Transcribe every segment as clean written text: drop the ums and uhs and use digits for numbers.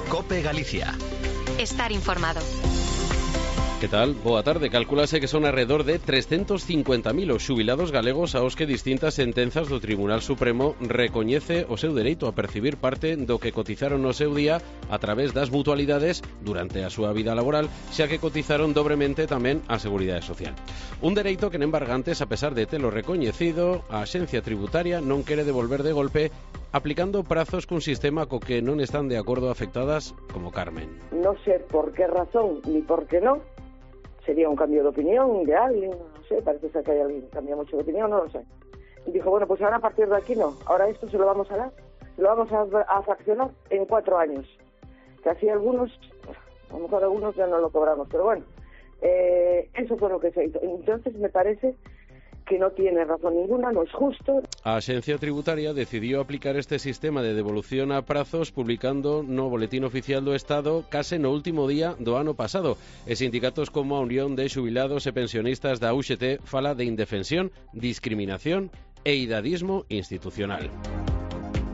COPE Galicia. Estar informado. Que tal? Boa tarde. Calculase que son alrededor de 350.000 os xubilados galegos aos que distintas sentenzas do Tribunal Supremo recoñece o seu dereito a percibir parte do que cotizaron no seu día a través das mutualidades durante a súa vida laboral, xa que cotizaron dobremente tamén a Seguridade Social. Un dereito que en embargantes, a pesar de telo recoñecido, a Axencia Tributaria non quere devolver de golpe, aplicando prazos cun sistema co que non están de acordo afectadas como Carmen. No sé por qué razón ni por qué no. Sería un cambio de opinión de alguien, no sé, parece ser que hay alguien que cambia mucho de opinión, no lo sé. Y dijo, bueno, pues ahora a partir de aquí no, ahora esto se lo vamos a dar, se lo vamos a fraccionar en 4 años. Que así algunos, a lo mejor algunos ya no lo cobramos, pero bueno, eso fue lo que se hizo. Entonces me parece que no tiene razón ninguna, no es justo. A Axencia Tributaria decidiu aplicar este sistema de devolución a prazos publicando no Boletín Oficial do Estado case no último día do ano pasado. E sindicatos como a Unión de Xubilados e Pensionistas da UGT fala de indefensión, discriminación e idadismo institucional.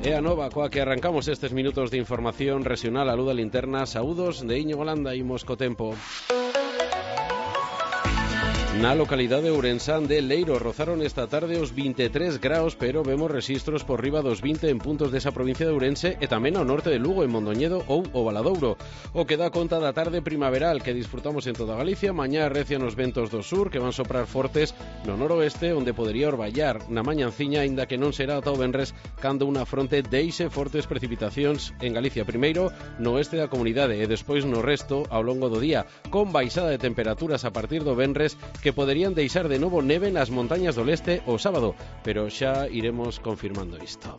É a nova coa que arrancamos estes minutos de información regional a luz da linterna. Saúdos de Íñigo Landa, imos co tempo. Na localidade ourensán de Leiro rozaron esta tarde os 23 graus, pero vemos rexistros por riba dos 20 en puntos desa provincia de Ourense e tamén ao norte de Lugo, en Mondoñedo ou o Valadouro. O que dá conta da tarde primaveral que disfrutamos en toda Galicia. Mañá arrecian os ventos do sur que van soprar fortes no noroeste, onde podería orballar na mañanciña, aínda que non será ata o venres cando unha fronte deixe fortes precipitacións en Galicia, primeiro no oeste da comunidade e despois no resto ao longo do día, con baixada de temperaturas a partir do venres que poderían deixar de novo neve nas montañas do leste o sábado, pero xa iremos confirmando isto.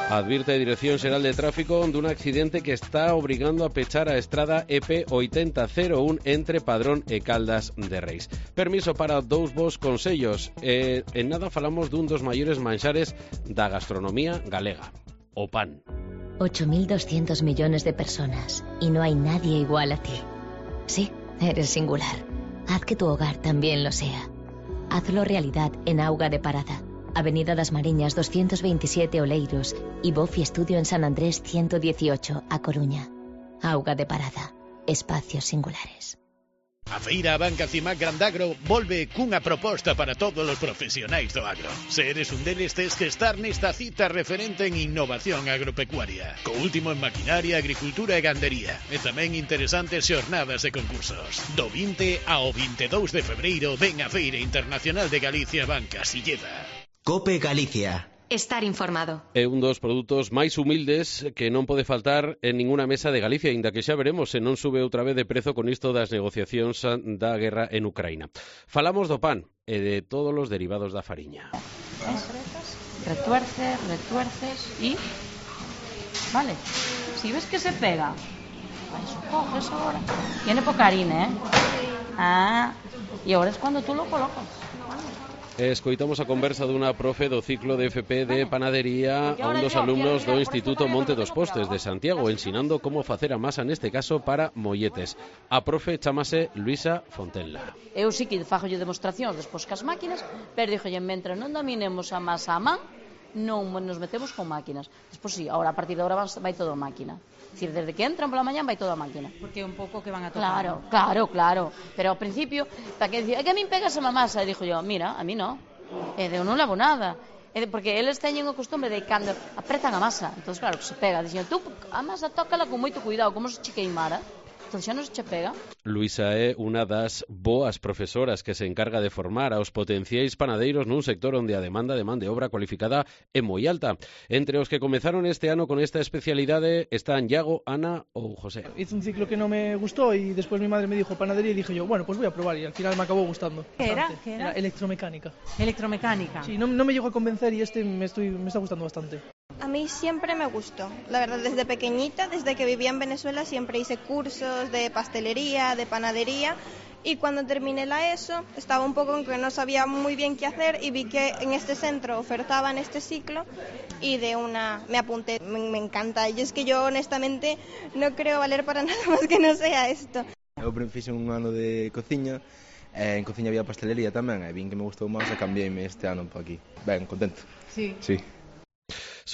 Advirte a Dirección Xeral de Tráfico dun accidente que está obrigando a pechar a estrada EP 8001 entre Padrón e Caldas de Reis. Permiso para 2 vos consellos. En nada falamos dun dos maiores manxares da gastronomía galega, o pan. 8.200 millones de personas y no hay nadie igual a ti. Sí, eres singular. Haz que tu hogar también lo sea. Hazlo realidad en Auga de Parada, Avenida das Mariñas 227 Oleiros y Bofi Estudio en San Andrés 118 A Coruña. Auga de Parada, espacios singulares. A Feira Banca Cimac Grandagro volve cunha proposta para todos os profesionais do agro. Se eres un deles, tes que estar nesta cita referente en innovación agropecuaria, co último en maquinaria, agricultura e gandería, e tamén interesantes xornadas e concursos. Do 20 ao 22 de febreiro ven a Feira Internacional de Galicia Banca Silleda. COPE Galicia. Estar informado. É un dos produtos máis humildes que non pode faltar en ninguna mesa de Galicia, aínda que xa veremos se non sube outra vez de prezo con isto das negociacións da guerra en Ucraína. Falamos do pan e de todos os derivados da fariña. Retuerces y... Vale, si ves que se pega, eso coges ahora. Tiene poca harina, y ahora es cuando tú lo colocas. Escoitamos a conversa dunha profe do ciclo de FP de panadería a un dos alumnos do Instituto Monte dos Postes de Santiago, ensinando como facer a masa, neste caso para molletes. A profe chamase Luisa Fontella. Eu sí que fagolle demostracións despois cas máquinas, pero dixolle, mentre non dominemos a masa a man, non nos metemos con máquinas. Despois sí, ahora a partir de agora vai todo a máquina. Es decir, desde que entran pola mañá vai todo a máquina. Porque é un pouco que van a tocar. Claro. Pero ao principio, para que decía, que a min pegas a masa, e dixo yo, mira, a mí non. Eu non lavo nada. Porque eles teñen o costume de cando apretan a masa, entonces claro, que se pega. Dixen, tú a masa tócala con moito cuidado, como se che queimara. Entón xa non se che pega. Luisa é unha das boas profesoras que se encarga de formar aos potenciais panadeiros nun sector onde a demanda de man de obra cualificada é moi alta. Entre os que comezaron este ano con esta especialidade están Iago, Ana ou José. Hice un ciclo que no me gustó y después mi madre me dijo panadería y dije yo, bueno, pues voy a probar y al final me acabó gustando. ¿Qué era? Era electromecánica. Electromecánica. Sí, no me llegó a convencer y me está gustando bastante. A mí siempre me gustó, la verdad, desde pequeñita, desde que vivía en Venezuela siempre hice cursos de pastelería, de panadería y cuando terminé la ESO estaba un poco en que no sabía muy bien qué hacer y vi que en este centro ofertaban este ciclo y de una me apunté, me encanta y es que yo honestamente no creo valer para nada más que no sea esto. Eu fixe un ano de cociña, en cociña había pastelería tamén e vin que me gustou máis e cambiéime este ano para aquí. Ben, contento. Sí. Sí.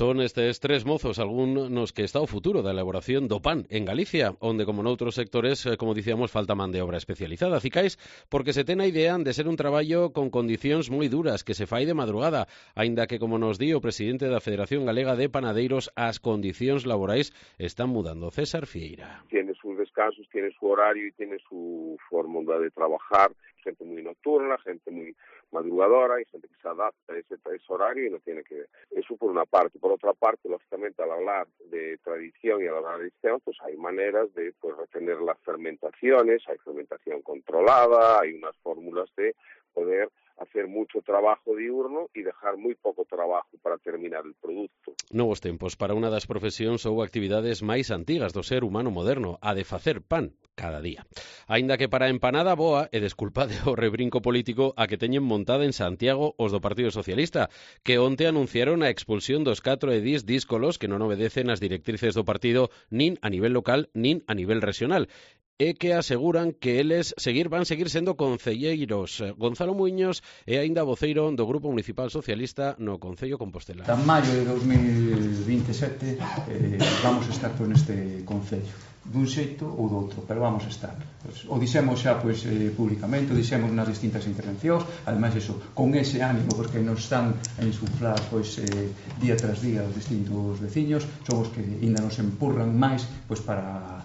Son estes tres mozos algúns que está o futuro da elaboración do pan en Galicia, onde como noutros sectores, como dicíamos, falta man de obra especializada. Cicais, porque se ten a idea de ser un traballo con condicións moi duras, que se fai de madrugada, aínda que, como nos di o presidente da Federación Galega de Panadeiros, as condicións laborais están mudando. César Fieira. Tiene sus descansos, tiene su horario y tiene su forma de trabajar. Gente muy nocturna, gente muy madrugadora, hay gente que se adapta a ese horario y no tiene que ver. Eso por una parte. Por otra parte, lógicamente, al hablar de tradición y al hablar de tradición, pues hay maneras de retener las fermentaciones, hay fermentación controlada, hay unas fórmulas de poder hacer mucho trabajo diurno e dejar moi pouco trabajo para terminar el produto. Novos tempos para unha das profesións ou actividades máis antigas do ser humano moderno, a de facer pan cada día. Aínda que para a empanada boa, e desculpade o rebrinco político a que teñen montada en Santiago os do Partido Socialista, que onte anunciaron a expulsión dos 4 edís díscolos que non obedecen as directrices do partido nin a nivel local nin a nivel regional, e que aseguran que eles van seguir sendo concelleiros. Gonzalo Muiños é aínda voceiro do Grupo Municipal Socialista no Concello Compostela. En maio de 2027 vamos a estar neste Concello, dun xeito ou do outro, pero vamos a estar. O dixemos xa públicamente, o dixemos nas distintas intervencións, ademais eso, con ese ánimo, porque nos están a insuflar día tras día os distintos veciños, son os que ainda nos empurran máis para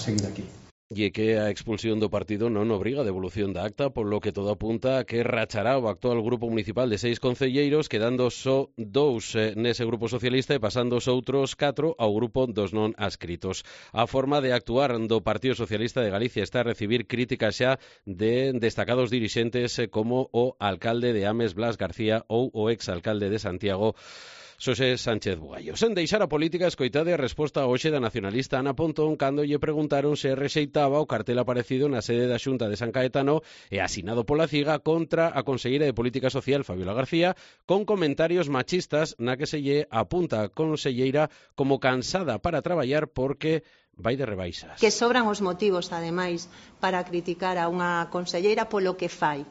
seguir aquí. E que a expulsión do partido non obriga a devolución da acta, polo que todo apunta a que rachará o actual grupo municipal de 6 concelleiros, quedando só 2 nese grupo socialista e pasando os outros 4 ao grupo dos non adscritos. A forma de actuar do Partido Socialista de Galicia está a recibir críticas xa de destacados dirixentes como o alcalde de Ames, Blas García, ou o exalcalde de Santiago, Xosé Sánchez Bugallo. Sen deixar a política, escoitade a resposta hoxe da nacionalista Ana Pontón cando lle preguntaron se rexeitaba o cartel aparecido na sede da Xunta de San Caetano e asinado pola CIGA contra a conselleira de Política Social, Fabiola García, con comentarios machistas na que se lle apunta a conselleira como cansada para traballar porque vai de rebaixas. Que sobran os motivos, ademais, para criticar a unha conselleira polo que fai.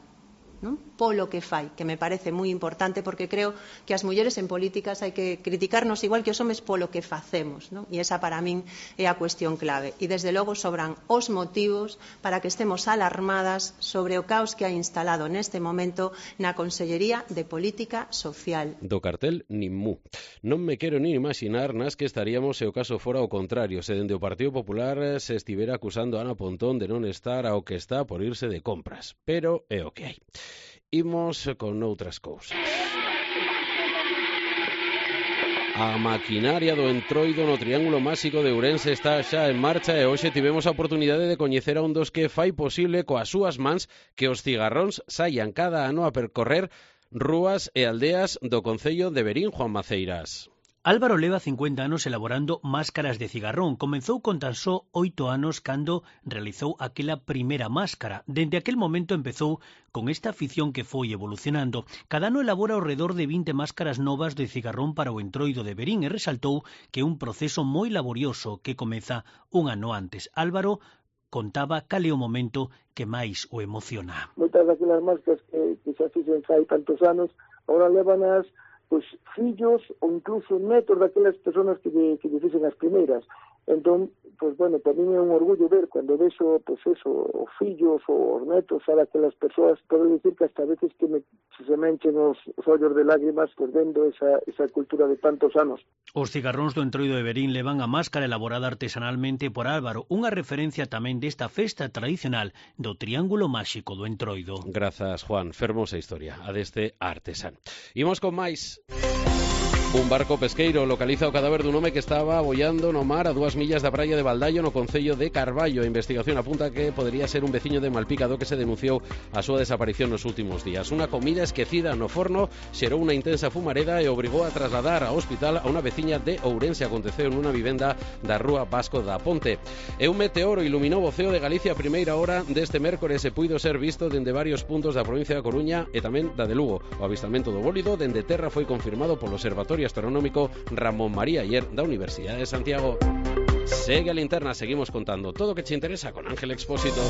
¿No? Polo que fai, que me parece moi importante, porque creo que as mulleres en políticas hai que criticarnos igual que os homes polo que facemos, ¿no? E esa para min é a cuestión clave. E desde logo sobran os motivos para que estemos alarmadas sobre o caos que hai instalado neste momento na Consellería de Política Social. Do cartel nin mu. Non me quero nin imaginar nas que estaríamos se o caso fora o contrario, se dende o Partido Popular se estivera acusando a Ana Pontón de non estar ao que está por irse de compras. Pero é o que hai. Imos con outras cousas. A maquinaria do Entroido no Triángulo Máxico de Ourense está xa en marcha e hoxe tivemos a oportunidade de coñecer a un dos que fai posible coas súas mans que os cigarróns saian cada ano a percorrer rúas e aldeas do concello de Verín, Juan Maceiras. Álvaro leva 50 anos elaborando máscaras de cigarrón. Comezou con tan só 8 anos cando realizou aquela primeira máscara. Dende aquel momento empezou con esta afición que foi evolucionando. Cada ano elabora ao redor de 20 máscaras novas de cigarrón para o Entroido de Verín e resaltou que é un proceso moi laborioso que comeza un ano antes. Álvaro contaba cal é o momento que máis o emociona. Moitas daquelas máscaras que xa fixen fai tantos anos, agora levanas fillos ou incluso netos daquelas personas que lle fixen as primeiras. Entón, para mí é un orgullo ver cando vexo, os fillos ou os netos a daquelas persoas, podo dicir que hasta veces que se me enchen os ollos de lágrimas vendo esa cultura de tantos anos. Os cigarróns do Entroido de Verín levan a máscara elaborada artesanalmente por Álvaro, unha referencia tamén desta festa tradicional do Triángulo Máxico do Entroido. Grazas, Juan. Fermosa historia a deste artesán. Imos con máis. Un barco pesqueiro localiza o cadáver dun home que estaba aboiando no mar a 2 millas da praia de Baldaio no concello de Carballo. A investigación apunta que podería ser un veciño de Malpica do que se denunciou a súa desaparición nos últimos días. Unha comida esquecida no forno xerou unha intensa fumareda e obrigou a trasladar ao hospital a unha veciña de Ourense. Aconteceu nunha vivenda da rúa Vasco da Ponte. E un meteoro iluminou o ceo de Galicia a primeira hora deste mércores e puido ser visto dende varios puntos da provincia da Coruña e tamén da de Lugo. O avistamento do bólido dende terra foi confirmado polo Observatorio Astronómico Ramón María Ayer da Universidade de Santiago. Segue a linterna, seguimos contando todo o que te interesa con Ángel Expósito.